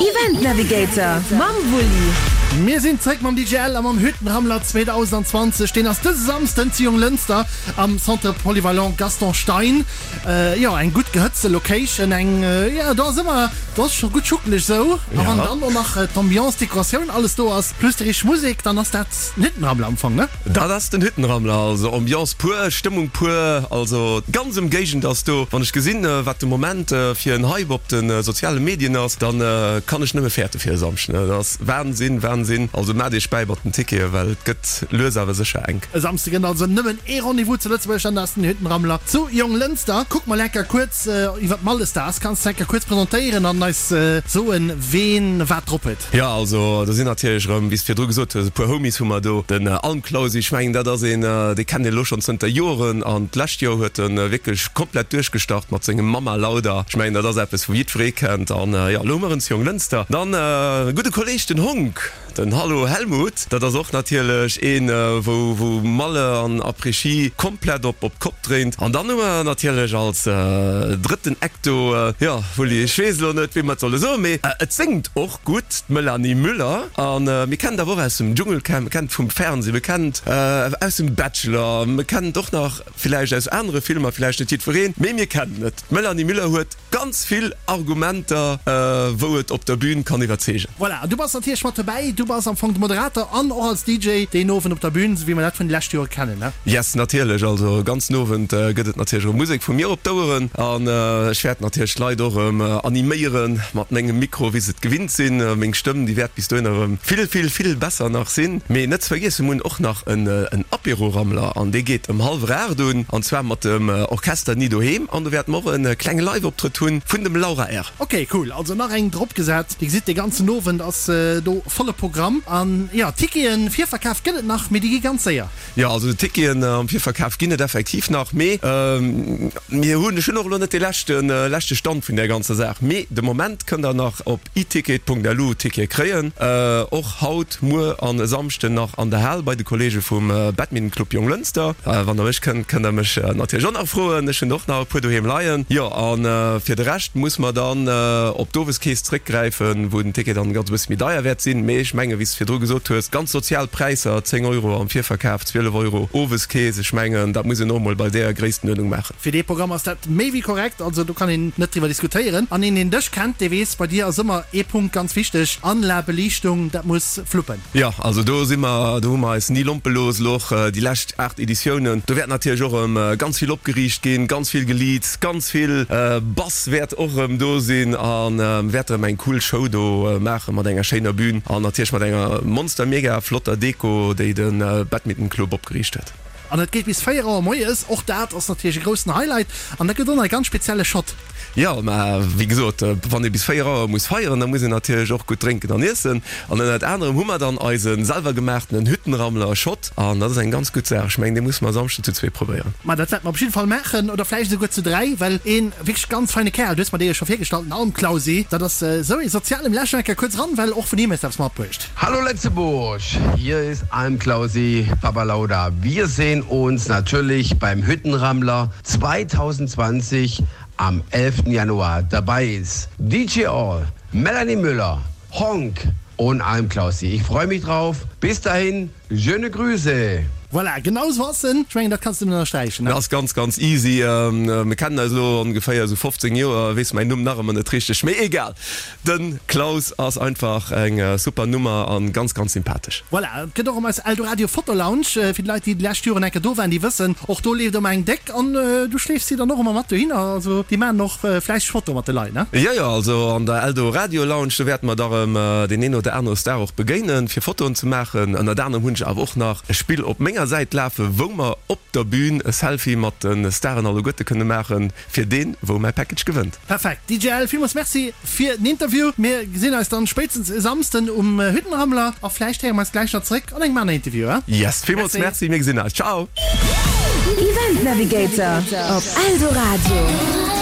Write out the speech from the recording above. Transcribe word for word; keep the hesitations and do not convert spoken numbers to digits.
Event Navigator mam Wulli. Mir sinn zréck mam D J L a mam Hüttenrammler zweedausendzwanzeg. Deen ass dëse Samsden zu Jonglënster am Centre Polyvalent Gaston Stein. Jo, eng gutt gehëtzte Location, eng, jo, do ass ëmmer, do ass scho gutt schuckeleg sou. A wann dann och nach d'Ambiance, d'Dekoratioun, alles do ass, plus déi richteg Musek, dann ass dat den Hüttenrammler am Fong, ne? Dat ass den Hüttenrammler, also Ambiance pur, Stëmmung pur, also d'ganz Ëmgéigend ass do. Wann ech gesinn, wat de Moment fir en Hype op de soziale Medien ass, dann kann ech nëmme fäerte fir e Samschden. Et ass Wahnsinn, Wahnsinn. Also maacht iech bäi mat den Tickete, well et gëtt lues awer sécher enk. E Samsde gëtt also nëmmen ee Rendez-vous zu Lëtzebuerg an dat ass den Hüttenrammler zu Jonglënster. Kuck mol enker kuerz iwwer d'Mallestars. Kanns de enker kuerz presentéieren an eis soen, ween wat drop huet? Jo, also do sinn natierlech erëm, wéi s de virdru gesot hues, e puer Homies hu mer do. Den Almklausi, ech mengen dat ass een, dee kennt een elo schonn zënter Joren an d'lescht Joer huet e wierklech komplett duerchgestart mat sengem Mama Lauda. Ech mengen dat ass eppes wou jiddweree kennt an jo, elo hu mer en zu Jonglënster. Dann e gudde Kolleg, den Honk, den Hallo Helmut, dat ass och natierlech een, wou wou Malle an Après-Ski komplett op op d'Kopp dréint. An dann hu mer natierlech als drëtten Act do, jo Wulli, ech weess elo net wéi mer et solle soen, mee et séngt och gutt, d'Melanie Müller. A mir kennen et awer och aus dem Dschungelcamp, mir kennen et vum Fernseh, mir kennen et aus dem Bachelor, mir kennen et och nach villäicht aus anere Filmer, villäicht net jiddwereen, mee mir kennen et. D'Melanie Müller huet ganz vill Argumenter, wou et op der Bühn kann iwwerzeegen. Voilà, an du bass natierlech mat dobäi. Du bass am Fong de Moderator an och als D J deen Owend op der Bühn, esou wéi mer dat vun de leschte Jore kennen, ne? Yes, natierlech. Also ganzen Owend gëtt et natierlech erëm Musek vu mir op d'Oueren an ech wäert natierlech d'Leit och erëm animéiere mat mengem Mikro, wéi se et gewinnt sinn. Meng Stëmm, déi wäert bis dohin erëm vill, vill, vill besser nach sinn. Mee net ze vergiessen, mir hunn och nach en Apéro-Rammler an dee geet ëm hallwer aacht un an zwar mat dem Orchester Ni Doheem an do wäerte mer och e klenge Live-Optrëtt hunn vun dem Laura R. Ok, cool, also nach eng drop gesat. Dir gesitt, de ganzen Owend ass do volle Programm. An jo, Ticketen Virverkaf gëtt et nach, mee déi gi ganz séier. Jo, also Ticketen am Virverkaf ginn et effektiv nach, mee mir hunn, ech hunn och elo net de leschte leschte Stand vun där ganzer Saach, mee de Moment kënnt der nach op iticket punkt lu Tickete kréien, och haut, muer an e Samschden nach an der Hal bei de Kollege vum Badminton Club Jonglënster. Wann der mech kënnt, kënnt der mech natierlech och nach froen, ech hunn och nach e puer doheem leien. Jo, a fir de Rescht muss mer dann op d'Oweskeess zréckgräifen, wou den Ticket dann ganz e bësse méi deier wäert sinn. Mee ech mengen, wéi s de virdru gesot hues, ganz sozial Präisser, zéng Euro am Virverkaf, zwielef Euro Oweskeess, ech mengen, dat muss een och emol bei där Gréisstenuerdnung maachen. Fir dee Programm ass dat méi wéi korrekt, also do kann een net driwwer diskutéieren. An een, deen dech kennt, dee weess, bei dir ass ëmmer ee Punkt ganz wichteg, Anlag, Beliichtung, dat muss fluppen. Jo, also do si mer, do hu mer eis ni lompe looss, elo och déi lescht aacht Editiounen. Do wäert natierlech och erëm ganz vill opgeriicht ginn, ganz vill geleads, ganz vill Bass wäert och erëm do sinn a wäert erëm eng cool Show do maache mat enger schéiner Bühn an natierlech mat enger monster mega flotter Deko, déi de Badminton Club opgeriicht huet. An et geet bis véier Auer moies, och dat ass natierlech e groussen Highlight an dat gëtt och nach e ganz spezielle Shot. Jo, mä wéi gesot, wann ee bis véier Auer muss feieren, da muss een natierlech och gutt drénken an iessen. An ënnert anerem hu mer dann eise selwer gemaachtenen Hüttenrammler Shot an dat ass eng ganz gutt Saach. Ech mengen, dee musse mer e Samschden zu zwee probéieren. Ma dat wäerte mer op jidde Fall maachen, oder vläicht esouguer zu dräi, well ee wierklech ganz feine Kerl, du hues mer dee jo scho virgestallt, den Almklausi, dat ass esou ee soziale. Mir lauschteren eng Kéier kuerz eran, well och vun him hues de eppes matbruecht. Hallo Lëtzebuerg, hier ist Almklausi Papalauda. Wir sehen uns natürlich beim Hüttenrammler zweitausendzwanzig am elften Januar. Dabei ist D J All, Melanie Müller, Honk und Almklausi. Ich freu mich drauf. Bis dahin, schöne Grüße! Voilà, genau esou ass en. Ech mengen, dat kanns du nëmmen ënnersträichen, ne? Dat ass ganz, ganz easy. Mir kennen eis elo ongeféier esou fofzéng Joer. Weess mäin Numm nach ëmmer net richteg, mee egal. De Klaus ass einfach eng super Nummer an ganz, ganz sympathesch. Voilà, et gëtt och ëm eis Eldoradio Foto Lounge. Fir déi Leit, déi déi lescht Joren eng Kéier do waren, déi wëssen, och do leeft ëmmer eng déck an du schleefs si dann och ëmmer mat dohinner. Also déi maachen och fläisseg Fotoe mat de Leit, ne? Jo, jo, also an der Eldoradio Lounge, do wäerte mer da erëm deen een oder anere Star och begéinen, fir Fotoen ze maachen. Ënnert anerem hunn ech awer och nach e Spill op menger Säit lafen, wou mer op der Bühn e Selfie mat de Staren alleguerte kënne maachen, fir deen, wou mäi Package gewënnt. Perfekt D J L, villmools Merci fir den Interview. Mir gesinn eis dann spéitstens e Samsden um Hüttenrammler a vläicht héiere mer eis gläich nach zeréck an engem aneren Interview, he? Yes, villmools Merci, mir gesinn eis. Ciao! Event Navigator op Eldoradio.